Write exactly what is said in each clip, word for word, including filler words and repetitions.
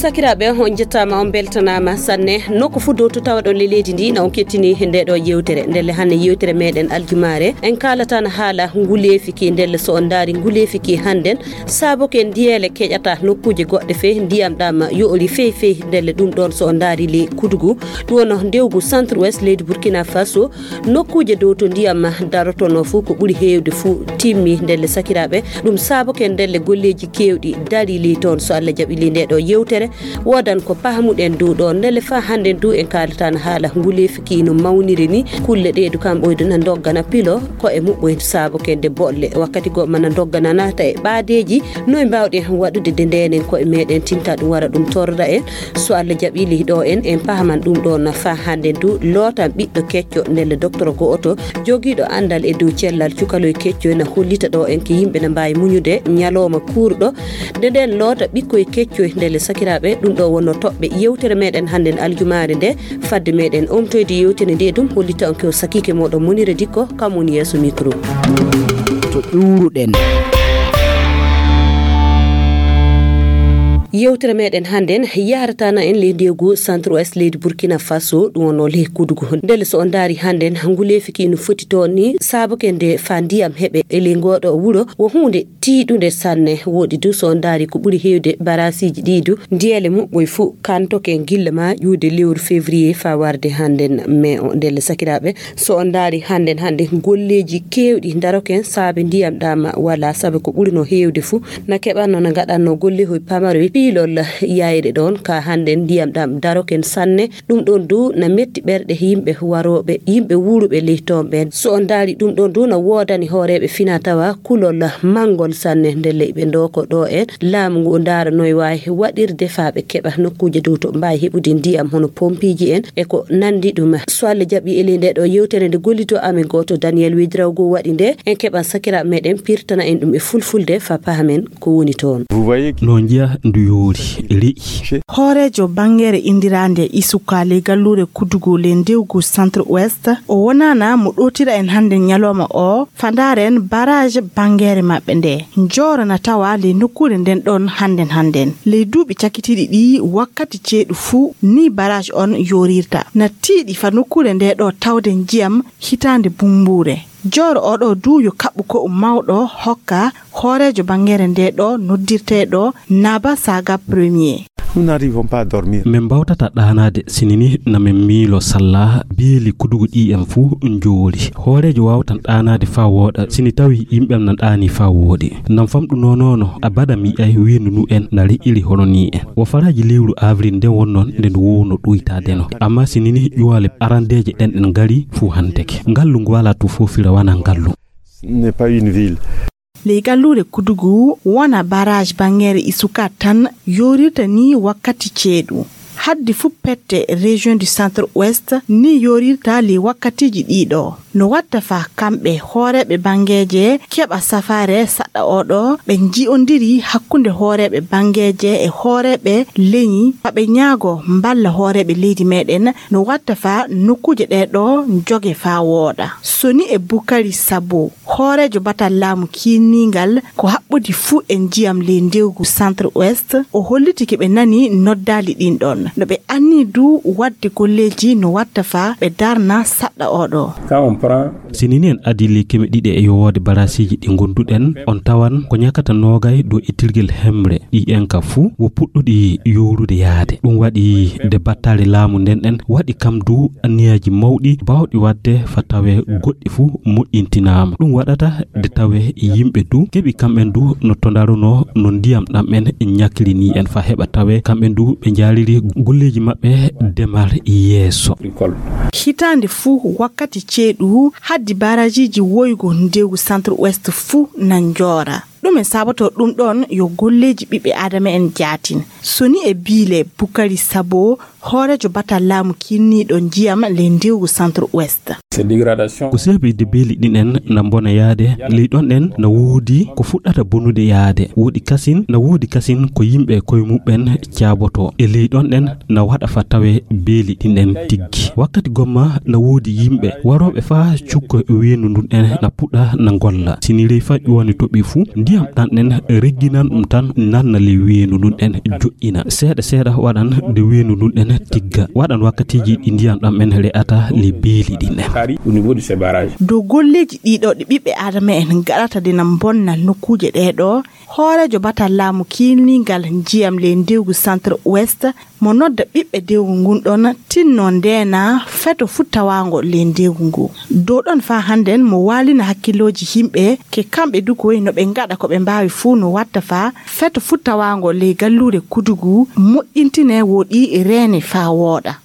Sakiraaɓe, on njettaama, on mbeltanaama sanne. Nokku fuu dow to tawaɗon le leydi ndi, na on kettini nde ɗo yewtere. Ndelle hannde yewtere meɗen aljumaare, en kaalatan haala nguleefi ki. Ndelle so on ndaari nguleefi ki hannden, saaboke ndiyeele keƴata nokkuuje goɗɗe fey, ndiyam ɗam yoori fey fey. Ndelle ɗum ɗoon so on ndaari le Kudugu, ɗum wonno ndewgu centre ouest leydi Burkina Faso, nokkuuje dow to ndiyam darotonoo fuu, ko ɓuri heewde fuu timmi. Ndelle sakiraaɓe, ɗum saaboke ndelle golleeji keewɗi darii ley toon. So Allah jaɓi ley nde ɗo yewtere, woodan ko pahamuɗen dow ɗoon. Ndelle faa hannden du en kaalatan haala nguleefi ki no mawniri ni. Kulle ɗe du kam ɓoydu na ndoggana pilo ko e muɓɓoy saaboke nde bolle. Wakkati goɗɗo mana ndoggana naata e ɓaadeeji. Noy mbaawɗen waɗude de ndenen ko e meɗen tinta ɗum wara ɗum torra en? So Allah jaɓi ley ɗo en, en pahaman ɗum ɗo na faa hannden du lootan ɓiɗɗo kecco ndelle docteur go'oto jogiiɗo anndal e dow cellal cukaloy keccoy na hollita ɗo en ko yimɓe na mbaawi muñude ñalooma kuurɗo. Nde nden loota ɓikkoy keccoy ndelle sakiraaɓe, ɗum ɗo wonno toɓɓe yewtere meɗen hannden aljumaare nde. Fadde meɗen omtoyde yewtere nde ɗum hollita on ko sakiike moɗon Monira Dikko, kam woni yeeso micro. To ƴuuruɗen. Yewtere meɗen hannden yahrata na en ley ndewgu centre ouest leydi Burkina Faso, ɗum wonno ley Kudugu. Ndelle so on ndaari hannden nguleefi ki no foti toon ni, saaboke nde faa ndiyam heɓe e ley ngoɗo wuro, wo huunde tiiɗunde sanne. Woɗi du so on ndaari ko ɓuri heewde barasiiji ɗi du, ndiyeele muɓɓoy fuu kantoke gilla ma ƴuude lewru février faa warde hannden mai o. Ndelle sakiraaɓe, so on ndaari hannden hannde golleeji keewɗi daroken saabe ndiyam ɗam walaa, saabe ko ɓuri no heewde fuu na keɓanno na ngaɗanno gollehoy pamaroy piilol yayre ɗoon ka hannden ndiyam ɗam daroken sanne. Ɗum ɗoon du na metti ɓerɗe yimɓe warooɓe, yimɓe wuuruɓe ley toon ɓeen. So on ndaari ɗum ɗoon du na woodani hooreeɓe fina tawa kulol manngol sanne. Ndelle iɓe ndooko ɗo en laamu ngu ndaara noy waawi waɗirde faa ɓe keɓa nokkuuje dow to mbaawi heɓude ndiyam hono pompiiji en e ko nanndi ɗum. So Allah jaɓi e ley nde ɗo yewtere nde gollito amen gooto Daniel Wedrawgo waɗi nde, en keɓan sakiraaɓe meɗen pirtana en ɗum e fulfulde faa pahamen ko woni toon. Vous voyez que no njiya ndu yoori, re'i. Hooreejo banngere inndiraande Isuka ley galluure Kudugu ley ndewgu centre ouest, o wonaana mo ɗootira en hannde ñalooma o, faa ndaaren barrage banngere maɓɓe nde. Njooro na tawa ley nokkuure nden ɗoon hannden hannden. Ley duuɓi cakitiiɗi ɗi wakkati ceeɗu fuu, ni barrage on yoorirta. Na tiiɗi faa nokkuure nde ɗo tawde njiyam hitaande bumbuure. Jooro oɗo du yo kaɓɓu ko mawɗo hokka hooreejo banngere nde ɗo noddirteeɗo Naba Saga Premier. Nous n'arrivons pas à dormir. Min mbawtata ɗaanaade, sini ni na min miilo salla beeli kudugu ɗi en fuu njoori. Hooreejo waawtan ɗaanaade faa wooɗa, sini tawi yimɓe am na ɗaani faa wooɗi. Nan famɗu noonoono, abada mi yi'ay wiindu nu en na re'iri hono ni en. Wo faraaji lewru avril nden wonno nde ndu wowno ɗoytaade no. Amma sini ni ƴuwale arandeeje ɗen ɗen ngari fuu hanteke. Ngallu ngu walaa tu foofira wanaa ngallu. Ce n'est pas une ville. Ley galluure Kudugu wona barrage banngere Isuka tan yoorirta ni wakkati ceeɗu. Haddi fuu pette région du centre ouest ni yoorirta ley wakkatiiji ɗiɗo. No watta faa kamɓe hooreeɓe banngeeje keɓa safaare saɗɗa oɗo ɓe nji'ondiri hakkunde hooreeɓe banngeeje e hooreeɓe leñi, faa ɓe ñaago mballa hooreeɓe leydi meɗen no watta faa nokkuuje ɗe ɗo njoge faa wooɗa. Soni e Bukari Sabo, hooreejo batal laamu kiinniingal ko haɓɓodi fuu e njiyam ley ndewgu centre ouest, o holliti ke ɓe nani noddaali ɗin ɗon. No ɓe anni du waɗde golleeji no watta faa ɓe darna saɗɗa oɗo. Quand on prend Sini ni en adii ley keme ɗiɗi e yowoode barasiiji ɗi ngonduɗen, on tawan ko ñakata noogay dow ittirgel hemre ɗi en ka fuu wo puɗɗuɗi yoorude yaade. Ɗum waɗi nde battaare laamu nden ɗen waɗi kam du anniyaaji mawɗi baawɗi waɗde faa tawee goɗɗi fuu moƴƴintinaama. Ɗum waɗata nde tawee yimɓe du keɓi kamɓen du no to ndaronoo no ndiyam ɗam en ñakiri ni en faa heɓa tawee kamɓen du ɓe njaariri golleeji maɓɓe demal yeeso. Hitaande fuu wakkati ceeɗu haddi barajiiji woygo ndewgu centre ouest fuu na njoora. Ɗume saabotoo ɗum ɗoon? Yo golleeji ɓiɓɓe aadama en jaatin. Soni e biile Bukari Sabo, hooreejo batal laamu kiinniiɗo njiyam ley ndewgu Centre Ouest. Ko seeɓi de beeli ɗin en na mbona yaade, ley ɗon ɗen na woodi ko fuɗɗata bonude yaade. Woodi kasin, na woodi kasin ko yimɓe koye muɓɓen caabotoo. E ley ɗon ɗen na waɗa fa tawe beeli ɗin en tiggi. Wakkati gomma na woodi yimɓe warooɓe faa cukko weendu ndun en na puɗɗa na ngolla. Si ni ley fa ƴuwani toɓi fu, ndiyam ɗan ɗen regginan ɗum tan nanna ley weendu ndun en joɗɗina. Seeɗa seeɗa waɗan nde weendu ndun en tigga. Waɗan wakkatiiji ɗi ndiyam ɗam en re'ata ley beeli ɗin en. Dow golleeji ɗiɗo ɗi ɓiɓɓe Aadama en ngaɗata de na mbonna nokkuuje ɗee ɗoo, hooreejo batal laamu kiilningal njiyam ley ndewgu Centre Ouest mo nodda ɓiɓɓe dewgu ngun ɗon tinno ndeena feto fu tawaango ley ndewgu ngu. Dow ɗon faa hannden mo waalina hakkillooji yimɓe ke kamɓe du koy no ɓe ngaɗa ko ɓe mbaawi fuu no watta faa feto fu tawaango ley galluure Kudugu moƴƴintine woɗi reene faa wooɗa.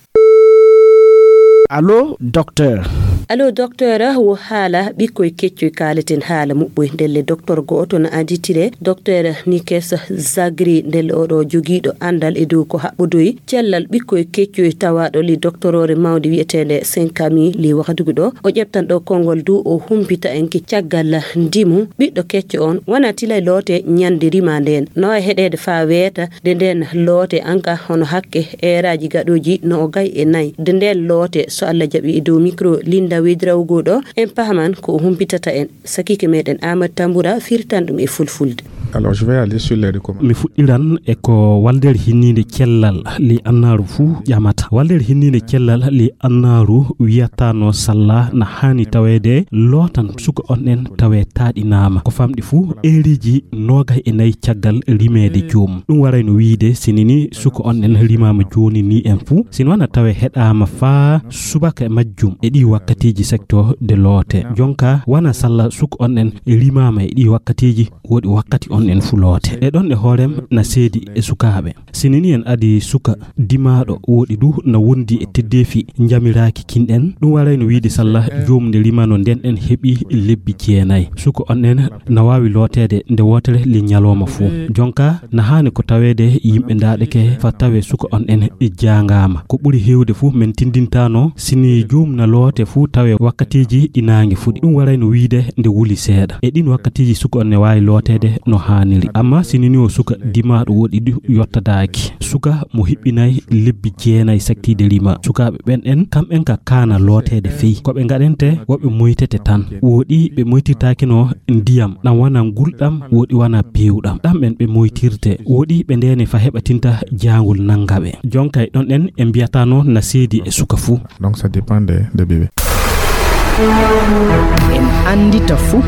Allo, docteur. Allo, docteur, wo haala ɓikkoy keccoy kaaleten haala muɓɓoy. Ndelle, docteur go'oto na anditire, docteur Nikes Zagri. Ndelle, oɗo jogiiɗo andal e dow ko haɓɓodoy cellal ɓikkoy keccoy tawaaɗo li doctorore mawnde wi'eteende Senkami li wahdugu ɗo. O ƴeftan ɗo konngol du o humpita en ki caggal ndimu ɓiɗɗo kecco on wana tilay loote ñande rima nden. No e heɗeede faa weeta de nden loote an ka hono hakke eeraaji gaɗooji no o gay e nay. De nden loote, so Allah jaɓi, e dow mikro Linda Wedrawgo ɗo, en pahaman ko o humpitata en. Sakiike meɗen Aamadu Tambura firtan ɗum e fulfulde. Alors, je vais aller sur les recommandations. Mi fuɗɗiran e ko waldere hinniinde cellal li annaaru fuu ƴamata. Waldere hinniinde cellal li annaaru wiyatano salla na haani taweede lootan suka on en tawe taaɗinaama. Ko famɗi fuu, eeriiji noogay e nayi caggal rimeede joomum. Ɗum waray no wiide, sinini suka on en rimaama jooni ni en fuu, sini wana tawe heɗaama faa subaka e majjum e ɗii wakkatiiji secteur de loote. Jonka, wana salla suka on en rimaama e ɗii wakkatiiji, woɗi wakkati on en fuu loote. E ɗon e hoorem na seedi e sukaaɓe. Sinini en adi suka dimaaɗo woɗi du na wondi e teddeefi njamiraaki kinɗen. Ɗum waray no wiide salla joomum nde rimano nden en heɓi lebbi jeenay. Suka on en na waawi looteede nde wootere li ñalooma fuu. Jonka na haani ko taweede yimɓe ndaaɗeke fa tawe suka on en e jaangaama. Ko ɓuri heewde fuu men tindintaano sini joomum na loote fuu tawe wakkatiiji ɗi naange fuɗi. Ɗum waray no wiide nde wuli seeɗa. E ɗin wakkatiiji suka on ne waawi looteede no haaniri. Amma sinini o suka dimaaɗo woɗi du yottadaaki. Suka mo hiɓɓinay lebbi jeenay saktiide rima. Sukaaɓe ɓen en, kamɓen ka kaana looteede fey. Ko ɓe ngaɗente, woɓɓe moytete tan. Woɗi ɓe moytirtaakino ndiyam, ɗam wana ngulɗam, woɗi wana peewɗam. Ɗam ɓen ɓe moytirte, woɗi ɓe ndeene fa heɓatinta jaangol nannga ɓe. Jonkay ɗon en, en mbiyatano na seedi e suka fuu. Donc ça dépend des, des bébés. En anndita fuu.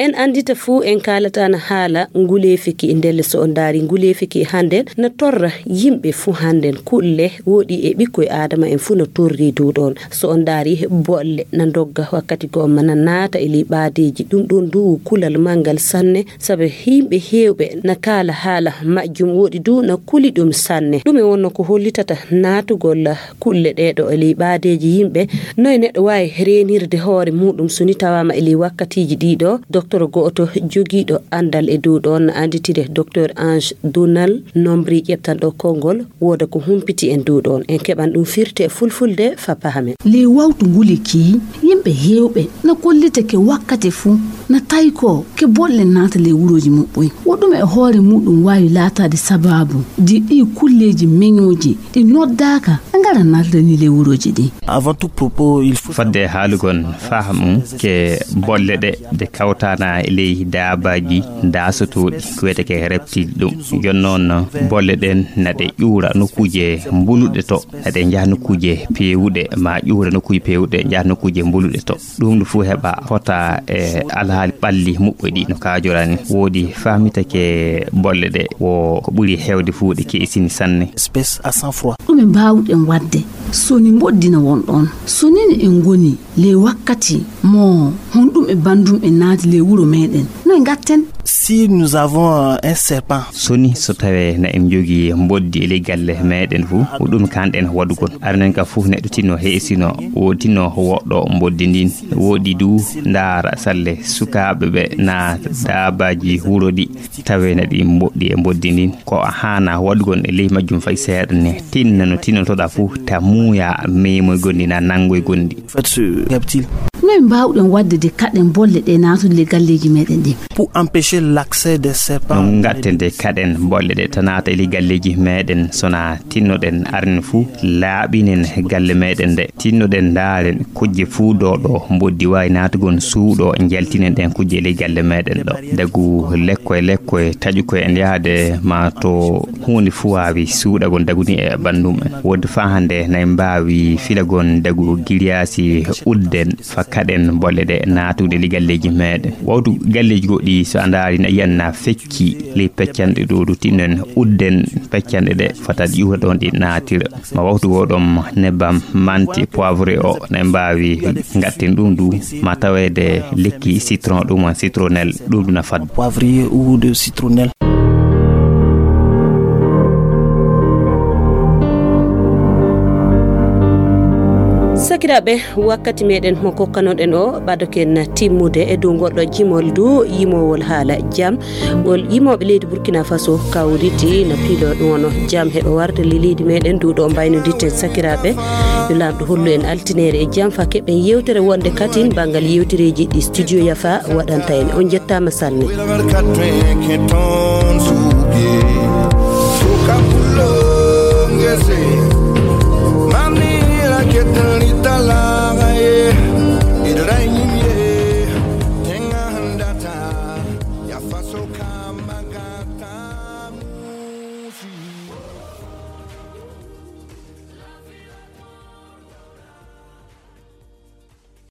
En anndita fuu, en kaalata na haala nguleefi ki. Ndelle so on ndaari nguleefi ki hannden na torra yimɓe fuu hannden. Kulle woɗi e ɓikkoy Aadama en fuu no torri dow ɗon. So on ndaari bolle na ndogga wakkati gomma na naata e ley ɓaadeeji. Ɗum ɗon du kulal manngal sanne, sabu yimɓe heewɓe na kaala haala majjum woɗi du na kuli ɗum sanne. Ɗum e wonno ko hollitata naatugol kulle ɗee ɗo e ley ɓaadeeji yimɓe. Noy neɗɗo waawi reenirde hoore muuɗum so ni tawaama e ley wakkatiiji ɗii ɗo? Docteur go'oto jogiiɗo anndal e dow ɗon na annditire Docteur Ange Donal Nombri ƴeftanɗo konngol wooda ko humpiti en dow ɗon. En keɓan ɗum firti e fulfulde fa pahamen. Ley wawtu nguli kii, yimɓe heewɓe na kollitake wakkati fuu na taykoo ke bolle naata ley wurooji muɓɓoy. Wo ɗume e hoore muuɗum waawi laataade sabaabu di ɗii kulleeji meñooji ɗi noddaaka ngara nardani ley wurooji ɗi? Avant tout propos, il faut Fadde haalugol faamu ke bolle ɗe, ɗe kawtana e ley daabaaji daasotooɗi, ko wiyetee ke reptile ɗum. Jooni noon, bolle ɗen na ɗe ƴuura nokkuuje mbuluɗe to, na ɗe njaha nokkuuje peewuɗe, ma ƴuura nokkuuje peewuɗe, njaha nokkuuje mbuluɗe to. Ɗum ɗo fuu heɓa fota e alhaali ɓalli muɓɓoy ɗi no kaajorani. Woodi faamitake bolle ɗe wo ko ɓuri heewde fuu ɗe keesini sanne. Espèce à sang froid. Ɗume mbaawɗen waɗde so ni mboɗdina won ɗon? So ni en ngoni ley wakkati mo honɗum e banndum e naati ley wuro meɗen, No ngatten? Si nous avons euh, un serpent, so ni so tawee na en njogii mboddi e ley galle meeɗen fof, ko ɗum kanɗen waɗugol. Arnen ka fof neɗɗo tinno heesino, o tinno woɗɗo mboddi ndin. Woɗɗi du ndaara salle sukaaɓe ɓe na daabaaji wuro ɗi tawee na ɗi mboɗɗi e mboddi ndin. Ko a haana waɗugol e ley majjum fay seeɗa ne. Tinna no tinnotoɗaa fof ta muuya meemoy gondi na nanngoy gondi. Faites ce reptile. Noy mbaawɗen waɗde de kaɗen bolle ɗe naatude le galleeji meeɗen ɗin? Pour empêcher l'accès des serpents. No ngatten de kaɗen bolle ɗe ta naata e ley galleeji meeɗen, sona tinnoɗen arnen fuu laaɓinen galle meeɗen nde. Tinnoɗen ndaaren kujje fuu ɗo ɗo mboddi waawi naatugol suuɗo, njaltinen ɗen kujje e ley galle meeɗen ɗo. Dagu lekko e lekko e taƴu ko en yahde ma to huunde fuu waawi suuɗagol daguni e ɓanndu mum en. Wodde faa hannde na en mbaawi filagol dagu giriyaasi udden fa kaɗen bolle ɗe naatude li galleeji meeɗen. Wawtu galleeji goɗɗi so a ndaari na yiyan na fecci li peccanɗe ɗo ɗo tinno en udden peccanɗe ɗe fota ƴuura ɗon ɗi naatira. Ma wawtu goo ɗon nebbam manti poivre o na en mbaawi ngatten ɗum du ma taweede lekki citron ɗum on citronnelle ɗum ɗum na fadde. Poivrier ou de citronnelle. Sakiraaɓe, wakkati meɗen mo kokkanoɗen o ɓadoken timmude e dow goɗɗo jimol du yimowol haala jam. Ngol yimooɓe leydi Burkina Faso kawriti no piilo ɗum wano jam heɓa warde le leydi meɗen du ɗo mbaynodirten sakiraaɓe. Yo Laamɗo hollu en altinere e jam fa keɓen yewtere wonde katin banngal yewtereeji ɗi studio Yafa waɗanta en. On njettaama sanne.